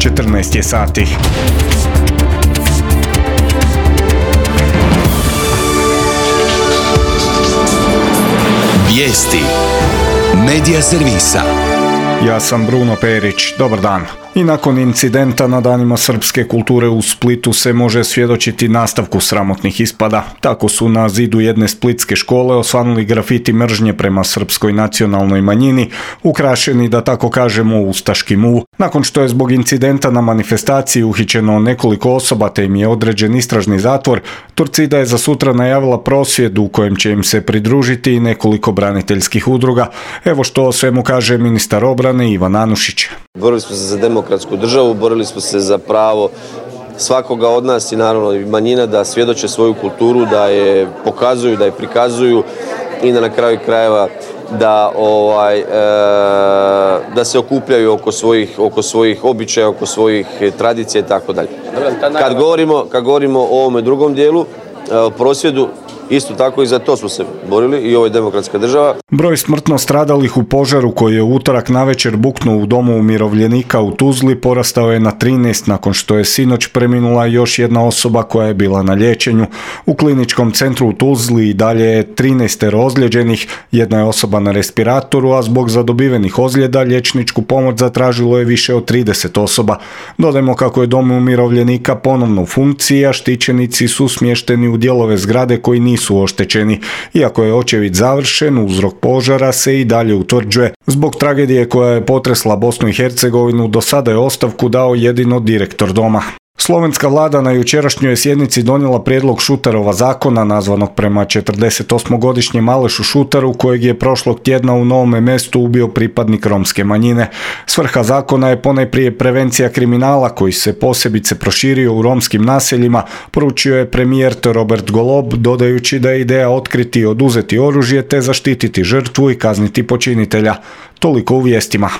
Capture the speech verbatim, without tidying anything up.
četrnaest je sati. Vijesti Medija servisa. Ja sam Bruno Perić, dobar dan. I nakon incidenta na danima srpske kulture u Splitu se može svjedočiti nastavku sramotnih ispada. Tako su na zidu jedne splitske škole osvanuli grafiti mržnje prema srpskoj nacionalnoj manjini, ukrašeni, da tako kažemo, ustaškim U. Nakon što je zbog incidenta na manifestaciji uhićeno nekoliko osoba te im je određen istražni zatvor, Torcida je za sutra najavila prosvjed u kojem će im se pridružiti i nekoliko braniteljskih udruga. Evo što o svemu kaže ministar obrane Ivan Anušić. Borili smo se za demokratsku državu, borili smo se za pravo svakoga od nas i naravno i manjina da svjedoče svoju kulturu, da je pokazuju, da je prikazuju i da na kraju krajeva da ovaj e, da se okupljaju oko svojih oko svojih običaja, oko svojih tradicija i tako dalje. Kad govorimo kad govorimo o ovome drugom dijelu, o prosvjedu, isto tako i za to smo se borili i ovo je demokratska država. Broj smrtno stradalih u požaru koji je u utorak navečer buknuo u domu umirovljenika u Tuzli porastao je na trinaest nakon što je sinoć preminula još jedna osoba koja je bila na liječenju. U kliničkom centru u Tuzli i dalje je trinaest ozlijeđenih, jedna je osoba na respiratoru, a zbog zadobivenih ozljeda liječničku pomoć zatražilo je više od trideset osoba. Dodajmo kako je dom umirovljenika ponovno u funkciji, a štićenici su smješteni u dijelove zgrade koji nisu oštećeni. Iako je očevid završen, uzrok požara se i dalje utvrđuje. Zbog tragedije koja je potresla Bosnu i Hercegovinu, do sada je ostavku dao jedino direktor doma. Slovenska vlada na jučerašnjoj sjednici donijela prijedlog Šuterova zakona, nazvanog prema četrdesetosmogodišnjem Alešu Šutaru, kojeg je prošlog tjedna u Novome Mestu ubio pripadnik romske manjine. Svrha zakona je ponajprije prevencija kriminala koji se posebice proširio u romskim naseljima, poručio je premijer Robert Golob, dodajući da je ideja otkriti i oduzeti oružje te zaštititi žrtvu i kazniti počinitelja. Toliko u vijestima.